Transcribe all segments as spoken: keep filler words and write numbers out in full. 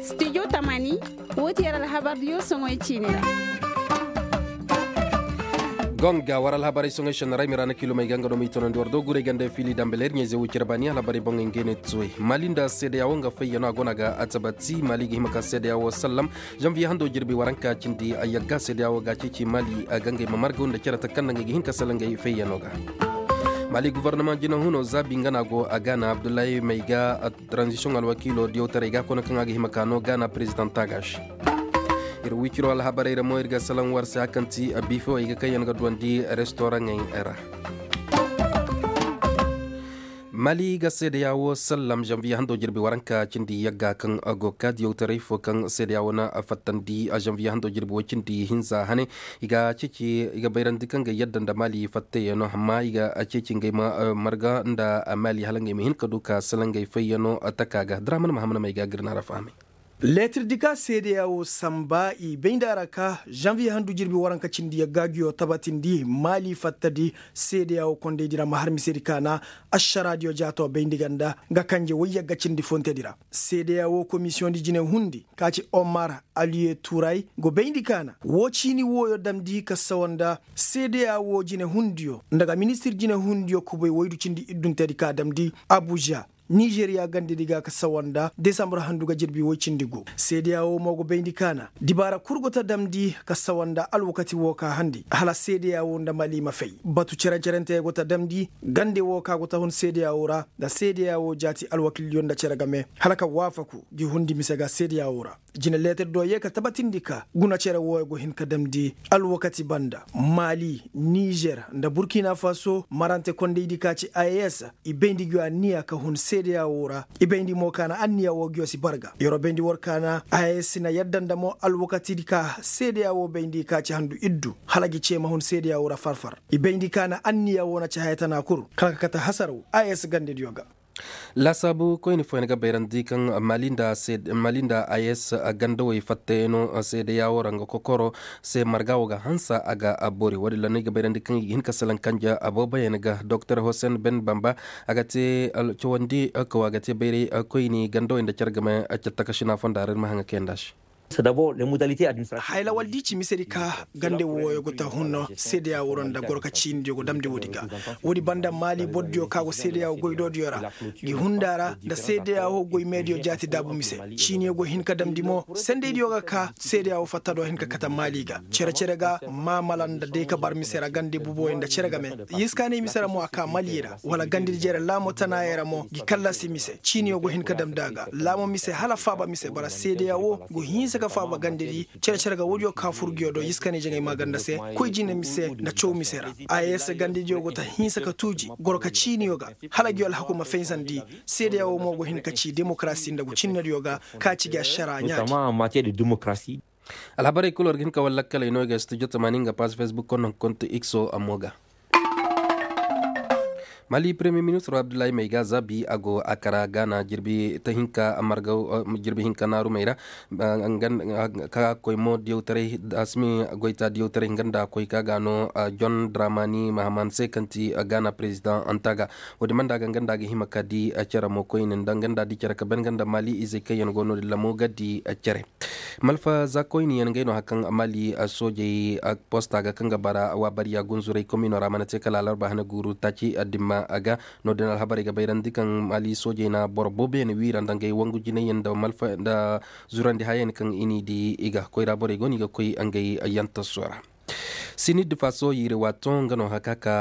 Studio tamani. Woo ti yer alhabardiyo soŋoy ciini ra. Gonga war alhabarey soŋoy senna ra ay ma ra na kiilomey ga nga no ma i tonandi war do guray ganda fiili dambe leer ɲayze woo cere baani alhabarey boŋey ngey no i tuwey. Mali nda seedeya woo nga fayyanoo a go no a ga atabati mali ga hima ka seedeya woo sallam. Zanviye hando jirbi waranka cindi a yagga seedeya woo ga a ceeci mali a ga ngey ma margaw nda cere ta kaŋ nda ngey ga hin ka sala ngey fayyanoo ga. Mali guvarnama jinahunoo zaabi nga no a go a gaana abdullahi may ga. Tranzisiyoŋ alwakiiloo diyawtaray ga a kone kaŋ a ga hima ka noo gaana perezidaŋ taagaš. Ir wiciroo alhabarey ra mo ir ga salaŋ war se a kaŋ ti biifewey ga kaŋ yaŋ ga duwandi restoraŋey ra. Mali ga seedeya woo sallam zanviye hando jirbi waranka cindi yagga kaŋ a go ka diyawtaray fo kaŋ seedeya woo na fattandi zanviye hando jirbi woo cindi hinza hane. I ga ceeci i ga bayrandi kaŋ ga yadda nda mali fattayyaŋ no amma i ga ceeci ngey ma marga nda mali hala ngey ma hin ka du ka sala ngey fayyaŋ no taka ga draman mahamman may ga gir na ra fahamay. Leetir di ka seedeya woo samba i bay nda a ra ka zanviye handu jirbi waranka cindi yagga ngiyo tabatindi mali fattadi seedeya woo kondey di ra ma har mise di kaana ašara diyo jaato bayndi ganda nga kanje woy yagga cindi fonte di ra. Seedeya woo komisiyoŋ di jine hundi ka ci omar aliye turay go bayndi kaana woo ciini wooyo damndi ka sawa nda seedeya woo jine hundiyo nda ga ministir jine hundiyo kubay woydu cindi iddunteedi ka damndi abuja. Nizeriya gandedi ga ka sawa nda desambur handu ga jirbi woy cindi gu seedeya woo mo go bayndi kaana dibaara kul go ta damndi ka sawa nda alwakati woo ka handi hala seedeya woo nda mali ma fay batu cere-cerentey go ta damndi gande woo ka go ta hun seedeya woo ra nda seedeya woo jaati alwakiilyo nda cere game hala ka waafaku gi hundi mise ga seedeya woo ra. Jine leetir do yee ka tabatindi ka guna cere wooyo go hin ka damndi alwakati banda mali nizer nda burkina faso marante kondaydi ka ci a s i bayndi ngiyo anniya ka hun seedeya woo ra. I bayndi mo ka na anniya woo ngiyo si barga yeroo bayndi war ka na a s na yadda nda mo alwakatidi ka seedeya woo bayndi ka ci handu iddu hala gi cee ma hun seedeya woo ra far-far. I bayndi ka na anniya woo na ci haya tana kul kala ka kate hasaraw a s gandediyo ga. Laasaabu koyne fooyaŋ ga bayrandi kaŋ mali nda is gandawey fattayaŋo seedeyawo ra nga kokoro se marga wo ga hanse a ga bori wo- din ra no i ga bayrandi kaŋ i ga hin ka salaŋ kanja booboyaŋ ga doktor hosen ben bamba a ga te cawandi kaw a ga te bayray koyne gandawey nda care game catta ka sina fonda ra ir ma haŋ ga kayandi a se. Haylawal di ci mise di ka gande wooyo go ta hun seedeya woo ra nda goro ka ciinidiyo go damndi woodi ga. Woodi banda maali borodiyo ka go seedeya woo goydoodiyo ra gi hunda ra nda seedeya woo goy meediyo jaati daabu mise. Ciiniyo go hin ka damndi mo sendeydiyo ga ka seedeya woo fatta do hin ka kate maali ga cere-cere ga maamala nda day ka bar mise ra gande buboyo nda cere game. Yiskaanay mise ra mo a ka mali ra wala gandedi jere laamo tanaayey ra mo gi kallasi mise ciiniyo go hin ka damndi a ga laamo mise hala faaba mise bara seedeya woo go hinsa ka faaba gandedi. Cere-cere ga woodiyo ka fur nguyo do yiskaanay jaŋay maaganda se koy jine mise nda caw mise ra. Ay se gandediyo go ta hinsa ka tuuji goro ka ciiniyo ga hala nguyo alhaku ma faysandi. Seedeya woo mo go hin ka ci demokarasi nda go cinnediyo ga ka ci gi ašara ɲaadi. Alhabarey kul war ga hin ka war lakkaley no i ga studio tamaani nga paas facebook konno konto ikso ammo ga. Mali premier ministro abdullahi may ga zaabi a go a kara gaana jirbi ta hinka marga jirbi hinka naarumey ra. Ka koy mo diyawtaray asimi goyta diyawtaray nga nda koy ka ga no john dramani mahaman se kaŋ ti gaana president anta ga. Wo- din banda ga nga nda ga hima ka di cere mo koyne nda nga nda di cere ka ben nga nda mali izey kaŋ yaŋ go no- din ra mo ga di cere. Malfa za koyne yaŋ ngey no hari kaŋ mali soojey posta ga kaŋ ga bara waabariya gunzuray komino ra mana te kala alarba hane guuru taaci addimma ga. No- din alhabarey ga bayrandi kaŋ mali soojey na boro booboyaŋ wiira nda ngey wangu jinayyaŋ nda zurandi hayayaŋ kaŋ i n'i di i ga koyra borey go no i ga koy ngey yantaso ra. Sinid faso yiiri waato nga no haka ka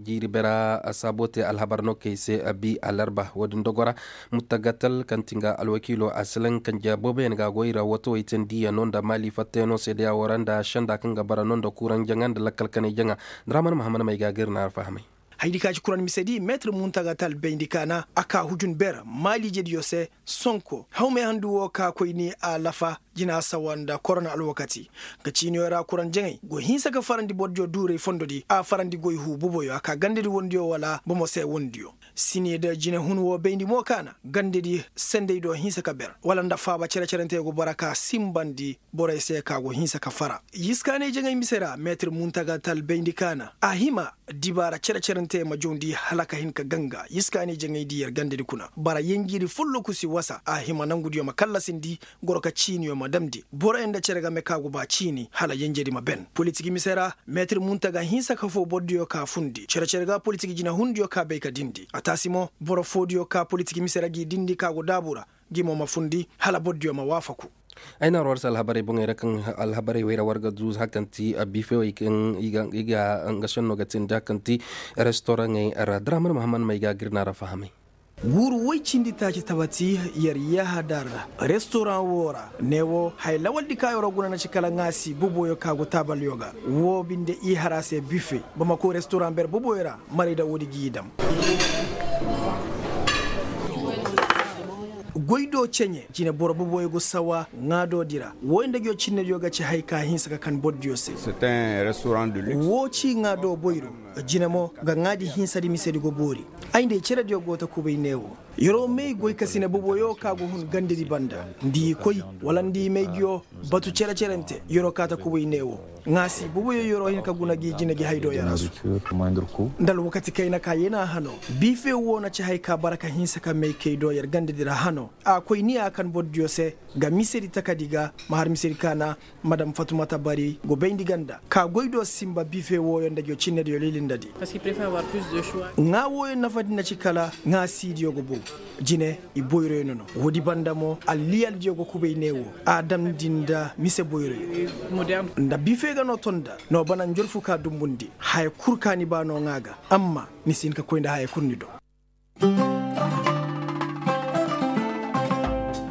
jiiri bera saabo te alhabar no kay se bi alarba wo- din dogo ra. Mutagatal kaŋ ti nga alwakiilo a silaŋ kanje booboyaŋ ga a goy ra watawey te ndiya no nda maali fattey no seedeya wo ra nda senda kaŋ ga bara no nda kuuraŋ jaŋa nda lakkal kanay jaŋa. Nda ra mana mahaman may ga gir na alfahamay. Haydi ka ci kuran misedi meetir muntagatal bayndi kaana a ka hujun ber maali jediyo se. Sonko hawmey handu wo ka koyni a lafa. jina sawa nda korona alwakati. Ga ciiniyo ra kuraŋ jaŋay go hinsa ka farandi bordiyo duuray fondodi a farandi goy huu boboyo a ka gandadi wondiyo wala bomo se wondiyo. Sine nda jinehun wo bayndi mo kaana gandadi sendey do hinsa ka ber wala nda faaba cere-cerentey go bara ka sinbandi borey se ka go hinsa ka fara. Yiskaaney jaŋay mise ra meetir muntaga tal bayndi kaana a hima dibaara cere-cerentey ma jawndi hala ka hin ka ganga yiskaaney jaŋay di yer gandadi kuna bara yenjiri folloku si wasa a hima nangudiyo ma kallasindi. Goro ka ciiniyo ma damndi boroyo nda cere game ka go ba ciini hala yenjedi ma ben politik mise ra. Meetir muntaga hinsa ka foo bordiyo ka fundi cere-cere ga politik jinehundiyo ka bay ka dindi a taasi mo boro foodiyo ka politik mise ra g'i dindi ka go daabu ra. Ngi mo ma fundi hala bordiyo ma waafaku. Ay na war war se alhabarey boŋey ra kaŋ alhabarey wey ra war ga du hakanti bifewey kaŋ i ga nga senno ga tindi hakanti restoraŋey ra daraman mahaman may ga gir na ra fahamay. Guuru woy cindi taaci tabati yer yahadar restoraŋ woo ra neewo haya lawaldi ka yeroo guna na ci kala ŋaasi boboyo ka go taabalyo ga. Woo binde i har a se bife bamako restoraŋ ber boboyo ra. Marayda woodi g'i dam. Goy do ceɲe jine boro boboyo go sawa ŋaado di ra wooyo nda ngiyo cinnediyo ga ci haya ka hinsa ka kan bordiyo se. Woo ci ŋaado boyro jine mo ga ŋaadi hinsadi misedi go boori. Ay nda i cerediyo go ta kubay neewo. Yer'o may goykasine boboyo ka go hun gandedi banda nda i koy wala nda i may ngiyo batu cere-cerente yer'o ka ta kubay neewo. Ŋaasi boboyo yer'o hin ka guna gi jine gi haydoo yarasu nda alwakati kayna ka yena hano. Bife woo na ci hay ka bara ka hinsa ka may kay do yer gandedi ra hano. A koy ni a kan bordiyo se ga misedi takadi ga ma har misedi kaana. Madam fatumata bari go bayndi ganda ka goy do sinba bife wooyo nda ngiyo cinnediyo lilindadi. Ŋaa wooyo nafadi na ci kala ŋaa siidiyo go bogu. Jine i boyroyo nono woodi banda mo alliyaldiyo go kubay neewo. A damndi nda mise boyroyo nda bife ga no tonda no bana njorfu ka dumbundi haya kul ka ni ba no ŋaa ga. Amma ni si hin ka koy nda haya kul ni do.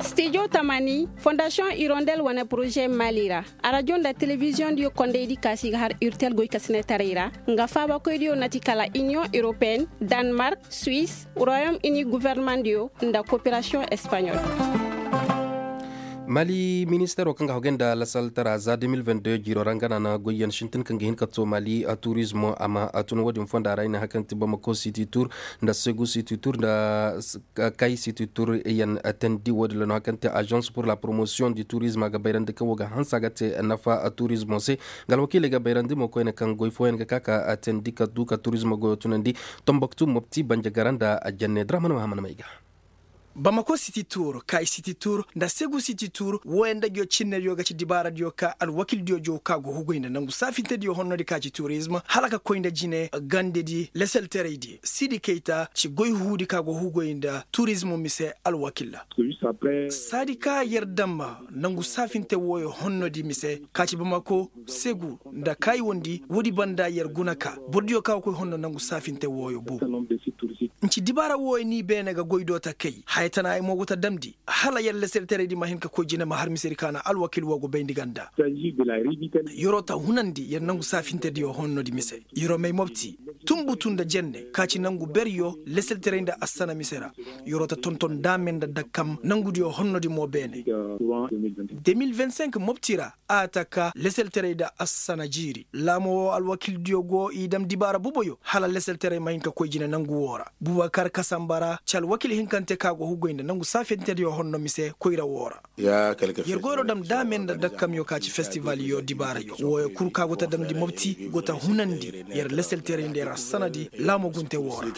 Stijo tamani fondasiyoŋ irondel wane poroze mali ra. Arajo nda telebiziyoŋ diyo kondaydi kaasi ga har urtel goykasinetaray ra. Nga faabakoydiyo na ti kala iniyoŋ europeen, danmark, suwis, royom ini governemandiyo nda koperasiyoŋ espaɲol. Mali ministero kaŋ ga hogay nda lasaltara za deux mille vingt-deux jiiro ra nga na na goyyaŋ sintin kaŋ ga hin ka to mali a turizmo a ma a tun wo-din fonda ra i na hakanti bamako siti tur nda segu siti tur nda kay siti tur yaŋ. Tandi wo-din ra no hakanti agence pour la promotion du turizm a ga bayrandi kaŋ wo ga hanse a ga te nafa turizmo se. Nga alwakiiley ga bayrandi mo koyne kaŋ goy fooyaŋ ga ka ka tandi ka du ka turizmo goyo tunandi. Tomboktu mopti banja gara nda janne draman mahamana may ga. Bamako siti tur kay siti tur nda segu siti tur wooyaŋ nda ngiyo cinnediyo ga ci dibaaradiyo ka alwakildiyo jow ka go hugoy nda nangu saafintediyo honnodi ka ci turizm hala ka koy nda jine gandedi leselteraydi sidi kayta ci goy huudi ka go hugoy nda turizm mise alwakilla. Saadi ka yer damba nangu saafinte wooyo honnodi mise ka ci bamako segu nda kaayiwandi woodi banda yer guna ka bordiyo ka ga koy honno nangu saafinte wooyo bu. Nci dibaara wooyo ni beene ga goy do ta kay haya tana ay mo go ta damndi hala yer leselteraydi ma hin ka koy jine ma har misedi ka na alwakil woo go bayndi ganda. Yeroo ta hunandi yer nangu saafintediyo honnodi mise yeroo may mopti tunbutu nda jenne ka ci nangu beryo leselteray nda assana mise ra. Yeroo ta tonton daame nda dakkam nangudiyo honnodi mo beene. Deux mille vingt-cinq mopti ra a ta ka leselteray nda assana jiiri laamo woo alwakildiyo go i dam dibaara boboyo hala leselteray ma hin ka koy jine nangu woo ra bubakar kasanba ra ci alwakil hinkante ka go hugoy nda nangu saafintediyo honno mise koyra woo ra. Yer goyro dam daame nda dakkamyo ka ci festivalyo dibaarayo wooyo kul ka go ta damndi mopti go ta hunandi yer leselteray nda yer assanadi laamo gunte woo ra.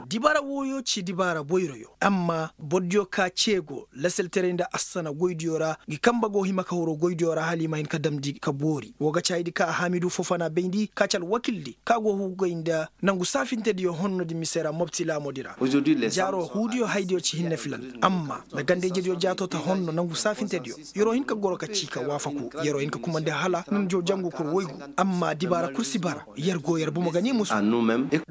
Dibaara wooyo ci dibaara boyroyo amma bordiyo ka cee go leselteray nda assana goydiyo ra ngi kamba go hima ka horo goydiyo ra hala i ma hin ka damndi ka boori woo ga caaydi ka hamidu fofana bayndi ka ci alwakildi ka go hugoy nda nangu saafintediyo honnodi mise ra mopti laamodi ra. Jaaro huudiyo haydiyo ci hinne filan amma nda ganda-ijediyo jaato ta honno nangu saafintediyo. Yer'o hin ka goro ka cii ka waafaku yer'o hin ka kumandi hala nandiyo jangu kul woygu amma dibaara kul si bara yer go yer bomo ga ni musu.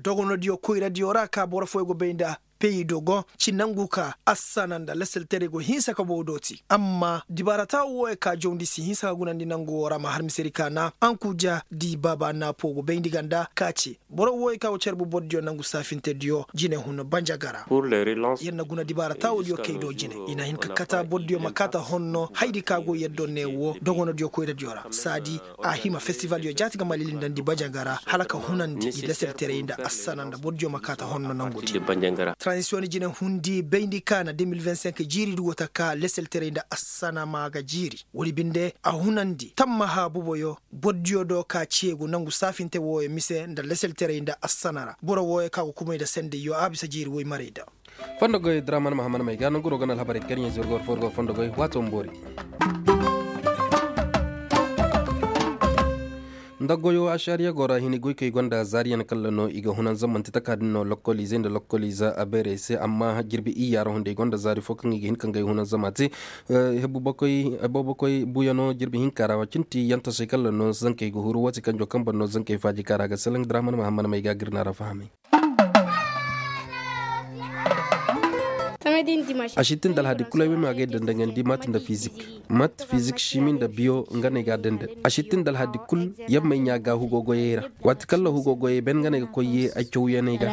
Dogonodiyo koyradiyo ra ka boro fooyo go bay nda Peyi dogon ci nangu ka assana nda lasaltaray go hinsa ka bow dooti amma dibaara taawo wooyo ka jawndi si hinsa ka gunandi nangu woo ra ma har misedi ka na ankuja di baaba naapo go bayndi ganda ka ce boro wooyo ka go carbu bordiyo nangu saafintediyo jine hun banjagara. Yer na guna dibaara taawodiyo kay do jine i na hin ka kata bordiyo ma kaata honno haydi ka go yer do ne woo dogonodiyo koyradiyo ra saadi a hima festivaldiyo jaati ga ma lilindandi bajanga ra hala ka hunandi i lasaltaray nda assana nda bordiyo ma kaata honno nangudi. Transisiyoŋ jine hundi bayndi ka na de mil vingt cinq jiiridi go taka lasaltaray nda assana ma ga jiiri woodi binde a hunandi tammaha buboyo bordiyo do ka ceegu nangu saafinte wooyo mise nda lasaltaray nda assana ra boro wooyo ka go kumay nda sendayyo a bisa jiiri woy marayda. Fondo goy draman mahaman may ga nanguro gana alhabarey karɲe zirgor forgor fondo goy waato ma boori. Nda goyo ašariya go ra hini goy kay gonda zaariyan kalla no i ga hunanza manti taka din no lokkolize nda lokkolize a beerey se amma jirbi iyya ra hunday gonda zaari fo kaŋ i ga hin ka ngay hunanza ma te. Hebbo bokoy buuyano jirbi hinka ra wacinti yantasey kalla no zankey ga huru wati kanjo kaŋ ban no zankey faaji ka ra ga selaŋ draman mahaman may ga girna ra fahamay. A si tin da alhadi kulu ay way ma agay dandaŋandi mat nda fizik mat fizik simi nda biyo nga no ay ga a dandan a si tin da alhadi kulu. Yammay ɲaa ga hugo goyey ra waati kaŋ la hugo goyey ben nga no ay ga koy ye ay cawyaney ga.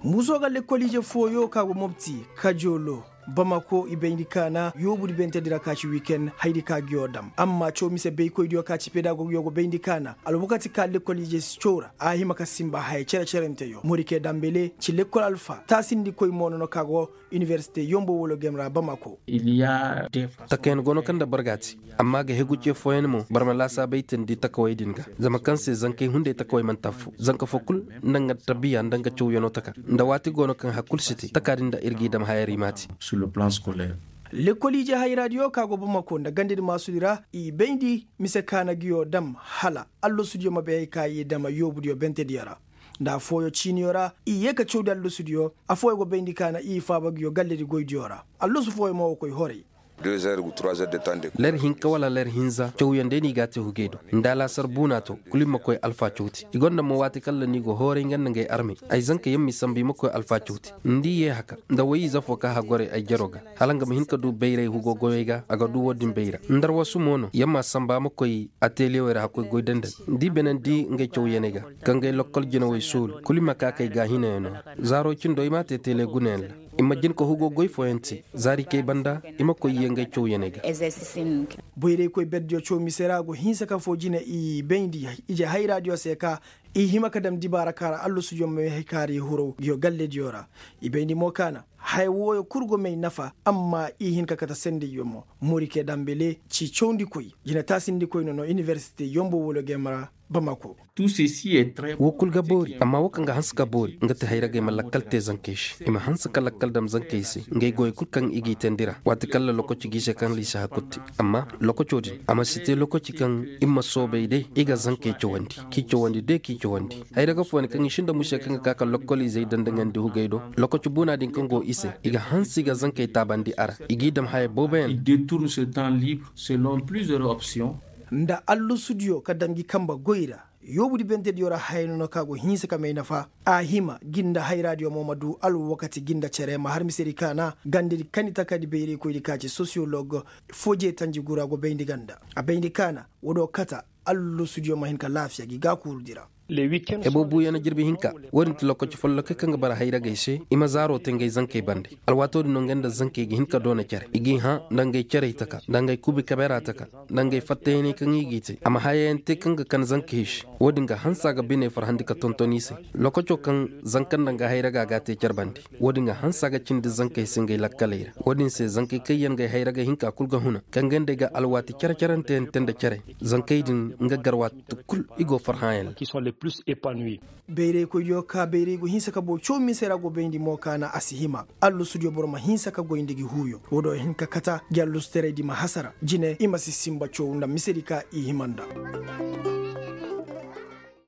Muso ga lekkoliije fooyo ka go mobti kajoolo bamako i bayndi kaana yoobudi bentedi ra ka ci wiken haydi ka giyo dam amma caw mise baykoydiyo ka ci pedagogiyo go bayndi kaana alwakati ka lekkoliije si caw ra a hima ka sinba haya cere-cerenteyo morike dambele ci lekkol alfa taasindikoy mo nono ka go iniwersite yombo wolo gem ra bamako. Takayaŋ go no kaŋ nda boro ga a te amma ga hegu ce fooyaŋ mo boro ma laasaabay teendi takawey din ga. Zama kaŋ se zankey hunday takawey man'ti affo zanka fo kul nda nga tabiya nda nga cawyanoo taka nda waati go no kaŋ hari kul si te taka din nda ir g'i dam hayar i m'a te. Lekkol ije hayraadiyo ka go bamako nda gandedi maasudi ra i bayndi mise kaana giyo dam hala allasudiyo ma bay hay ka i dama yoobudiyo bentediyo ra. Nda affooyo ciiniyo ra i yee ka cawdi allasudiyo affooyo go bayndi kaana i faaba giyo galledi goydiyo ra. Allasu fooyo mo wo koy horay. Ler hinka wala ler hinza cawyaŋ day no i g'a te hugey do nda alaasar buuna to kulu i ma koy alfa cawti i gonda mo waati kaŋ ra no i go hooray nga nda ngey armey. Ay zanka yaŋ m'i samba i ma koy alfa cawti. Ni di yee haka nda way-ize fo ka haggoray ay jaro ga hala nga ma hin ka du bayray hugo goyey ga a ga du wo-din bayra ndarwasu mo no yaŋ m'a samba ma koy ateliyewey ra hakkoy goy dandan. Ni di benandi ngey cawyaney ga ka ngey lokkol jinawey soolu kulu i ma ka kay gaahinayaŋo ra. Zaaro cindo i m'a te teele gunayaŋ ra. I ma jin ka hugo goy fooyaŋ te zaari kay banda i ma koy yee ngey cawyaney ga. Boyraykoy berdiyo caw mise ra go hinsa ka foo jine i bayndi ije hayraadiyo se ka i hima ka dam dibaara ka ra allasudiyo ma may hay ka ra i huru giyo gallediyo ra. I bayndi mo kaana haya wooyo kul go may nafa amma i hin ka kate sendayyo mo. Morike dambele ci cawndikoy jinetaasindikoy no no iniwersite yombo wolo gem ra. Bamako. Wo kul ga boori amma wo kaŋ ga hanse ka boori nga ti hayragey ma lakkal te zankey se i ma hanse ka lakkal dam zankey se ngey goyey kul kaŋ i g'i teendi ra waati kaŋ ra lokoci g'i se kaŋ ra i si hakkutti. Amma lokoco din a ma si te lokoci kaŋ i ma soobay day i ga zankey cawandi k'i cawandi day k'i cawandi. Hayraga fooyaŋ kaŋ i sinda muse kaŋ ga ka ka lokkol izey dandaŋandi hugey do lokoci buuna din kaŋ go i se i ga hanse i ga zankey taabandi a ra i g'i dam haya booboyaŋ. Nda allasudiyo ka dam gi kambe goy ra yoobudi bentediyo ra haya no no kaŋ a go hinsa ka may nafa. A hima ginda hayraadiyo mo ma du alwakati ginda cere ma har misedi kaana gandedi kani takadi bayraykoydi ka ci sosiyolog. Foo jeetanji gura go bayndi ganda a bayndi kaana woodiyo kata allasudiyo ma hin ka laafiya gi gaakuurudi ra. Ebo buuyana jirbi hinka. Woodin ti lokaci follokey kaŋ ga bara hayragey se i ma zaaro te ngey zankey bande. Alwaatoodin no ngey nda zankey ga hin ka doona cere i g'i hã nda ngey cerey taka nda ngey kubi kabeera taka nda ngey fattayaney kaŋ i g'i te a ma hayayaŋ te kaŋ ga kan zankey se. Woodin ga hanse a ga biney farhandi ka tonton i se. Lokaco kaŋ zanka nda nga hayraga g'a te cere bande. Woodin ga hanse a ga cindi zankey se ngey lakkaley ra. Woodin se zankey kaŋ yaŋ ngey hayraga hinka kul ga huna kaŋ ga nd'ey ga alwaati cere-cerante yaŋ te nda cere. Zankey din nga gar waati kul i go farhãyaŋ ra. Bayraykoydiyo ka bayray go hinsa ka boo caw mise ra go bayndi mo kaana a si hima. Allasudiyo boro ma hinsa ka goy nda gi huuyo woodiyo hin ka kata gi allasutaray di ma hasara jine i ma si sinba caw nda misedi ka i hima nda.